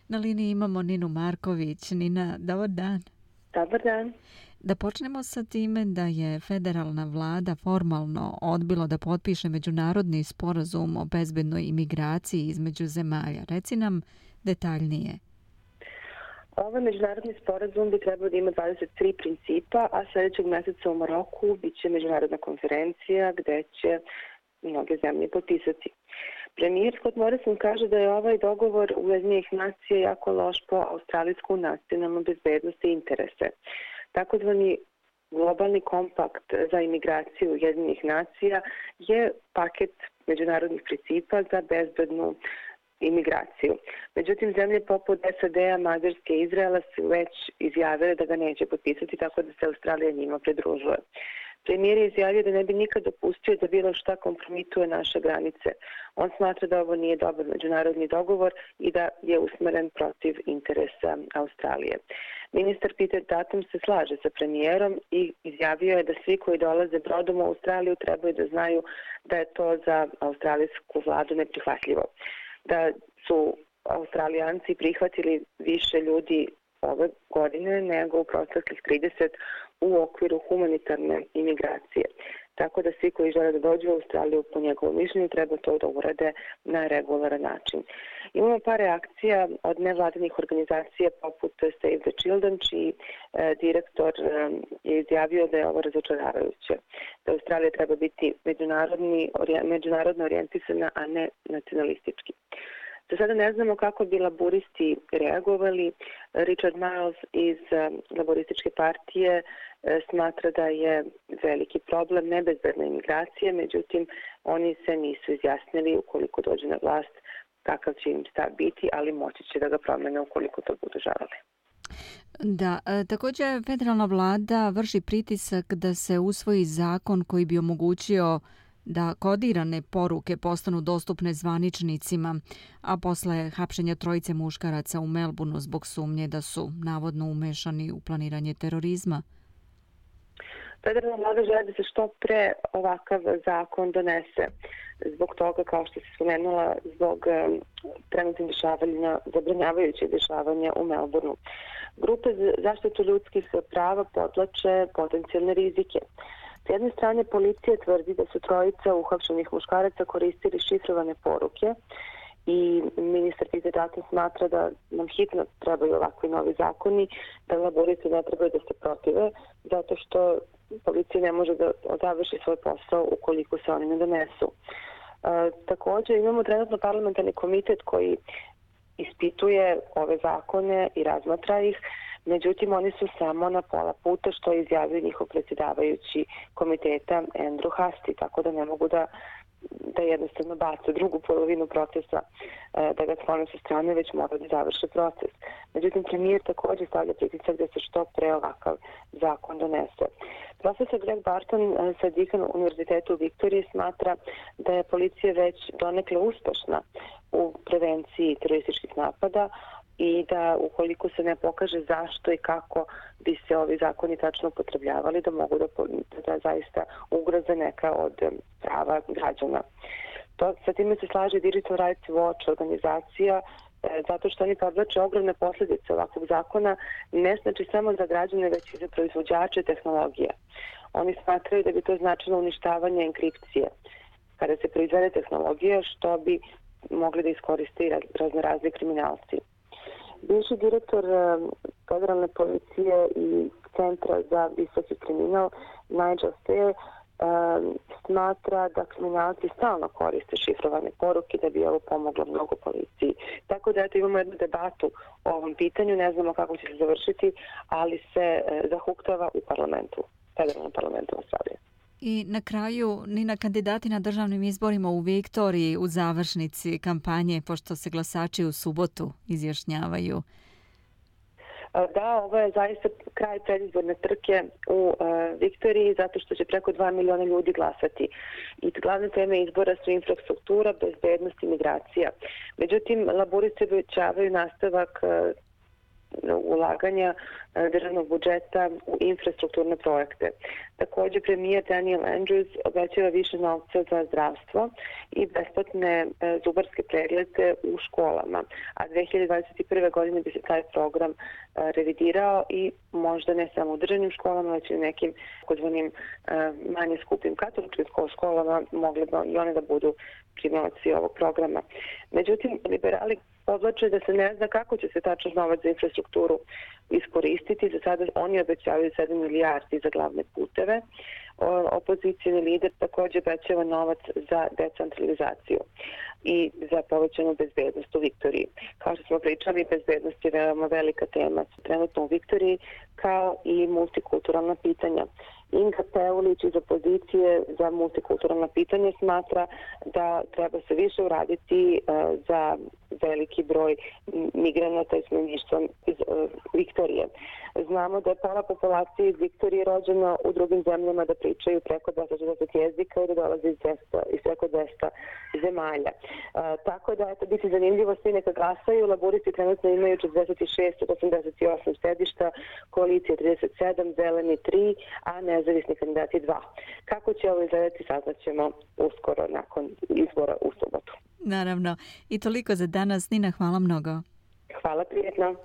Na liniji imamo Ninu Marković. Nina, dobar dan. Dobar dan. Da počnemo sa time da je federalna vlada formalno odbilo da potpiše međunarodni sporazum o bezbednoj imigraciji između zemalja. Reci nam detaljnije. Ovaj međunarodni sporazum bi trebao da ima 23 principa, a sljedećeg mjeseca u Maroku biće međunarodna konferencija gde će mnoge zemlje potpisati. Premijer Scott Morrison kaže da je ovaj dogovor Ujedinjenih nacija jako loš po australijsku nacionalnu bezbednost i interese. Takozvani globalni kompakt za imigraciju Ujedinjenih nacija je paket međunarodnih principa za bezbednu imigraciju. Međutim, zemlje poput SAD-a, Mađarske i Izraela su već izjavile da ga neće potpisati, tako da se Australija njima pridružuje. Premijer je izjavio da ne bi nikad dopustio da bilo šta kompromituje naše granice. On smatra da ovo nije dobar međunarodni dogovor i da je usmeren protiv interesa Australije. Ministar Peter Dutton se slaže sa premijerom i izjavio je da svi koji dolaze brodom u Australiju trebaju da znaju da je to za australijsku vladu neprihvatljivo. Da su Australijanci prihvatili više ljudi ove godine nego u proteklih 30 u okviru humanitarne imigracije. Tako da svi koji žele da dođu u Australiju po njegovom mišljenju treba to da urade na regularan način. Imamo par reakcija od nevladinih organizacija poput Save the Children, čiji direktor je izjavio da je ovo razočaravajuće. Da Australija treba biti međunarodno orijentisana, a ne nacionalistički. Do sada ne znamo kako bi laburisti reagovali. Richard Miles iz laborističke partije smatra da je veliki problem nebezbedna imigracija, međutim oni se nisu izjasnili ukoliko dođe na vlast kakav će im stav biti, ali moći će da ga promene ukoliko to budu želeli. Da, također federalna vlada vrši pritisak da se usvoji zakon koji bi omogućio da kodirane poruke postanu dostupne zvaničnicima, a posle hapšenja trojice muškaraca u Melbourneu zbog sumnje da su navodno umešani u planiranje terorizma. Federalna vlada želi da se što pre ovakav zakon donese. Zbog toga, kao što se spomenula, zbog trenutnih dešavanja, zabranjavajućih dešavanja u Melbourneu. Grupe za zaštitu ljudskih prava podlače potencijalne rizike. S jedne strane, policija tvrdi da su trojica uhapšenih muškaraca koristili šifrovane poruke i ministar Peter Dutton smatra da nam hitno trebaju ovakvi novi zakoni, da laboristi ne trebaju da se protive, zato što policija ne može da završi svoj posao ukoliko se oni ne donesu. Također imamo trenutno parlamentarni komitet koji ispituje ove zakone i razmatra ih, međutim oni su samo na pola puta, što je izjavio njihov predsjedavajući komiteta Andrew Hastie, tako da ne mogu da jednostavno bace drugu polovinu procesa, da ga sklone sa strane, već mora da završe proces. Međutim, premijer također stavlja pritisak da se što pre ovakav zakon donese. Profesor Greg Barton sa Deakin univerzitetu u Viktoriji smatra da je policija već donekle uspešna u prevenciji terorističkih napada i da ukoliko se ne pokaže zašto i kako bi se ovi zakoni tačno upotrebljavali, da mogu da zaista ugroze neka od prava građana. Sa time se slaže Digital Rights Watch organizacija, zato što oni podvlače ogromne posljedice ovakvog zakona, ne znači samo za građane, već i za proizvođače tehnologije. Oni smatraju da bi to značilo uništavanje enkripcije kada se proizvede tehnologija, što bi mogli da iskoriste i raznorazni kriminalci. Bivši direktor federalne policije i Centra za visoki kriminal Nigel Stair smatra da kriminalci stalno koriste šifrovane poruke da bi ovo pomoglo mnogo policiji. Tako da imamo jednu debatu o ovom pitanju, ne znamo kako će se završiti, ali se zahuktava u parlamentu, federalnom parlamentu Australije. I na kraju, Nina, kandidati na državnim izborima u Viktoriji u završnici kampanje, pošto se glasači u subotu izjašnjavaju. Da, ovo je zaista kraj predizborne trke u Viktoriji, zato što će preko 2 miliona ljudi glasati. I glavne teme izbora su infrastruktura, bezbednost i migracija. Međutim, laboristi obećavaju nastavak ulaganja državnog budžeta u infrastrukturne projekte. Također, premijer Daniel Andrews obećava više novca za zdravstvo i besplatne zubarske preglede u školama, a 2021. godine bi se taj program revidirao i možda ne samo u državnim školama, već i u nekim takozvanim manje skupim katoličkim školama mogli bi i one da budu primalaci ovog programa. Međutim, liberali podvlače da se ne zna kako će se tačno novac za infrastrukturu iskoristiti. Za sada oni obećavaju 7 milijardi za glavne puteve. Opozicijni lider također obećava novac za decentralizaciju i za povećanu bezbednost u Viktoriji. Kao što smo pričali, bezbednost je veoma velika tema trenutno u Viktoriji, kao i multikulturalna pitanja. Inga Peulić iz opozicije za multikulturalna pitanja smatra da treba se više uraditi za veliki broj migranata i stanovništva iz Viktorije. Znamo da je pola populacije iz Viktorije rođena u drugim zemljama, da pričaju preko 240 jezika i da dolaze iz preko 200 zemalja. Tako da eto, biti zanimljivo, svi neka glasaju. Laburisti trenutno imaju 46 od 88 sedišta, koalicija 37, zeleni 3, a nezavisni kandidati 2. Kako će ovo izgledati, saznaćemo uskoro nakon izbora u subotu. Naravno. I toliko za danas. Nina, hvala mnogo. Hvala, prijetno.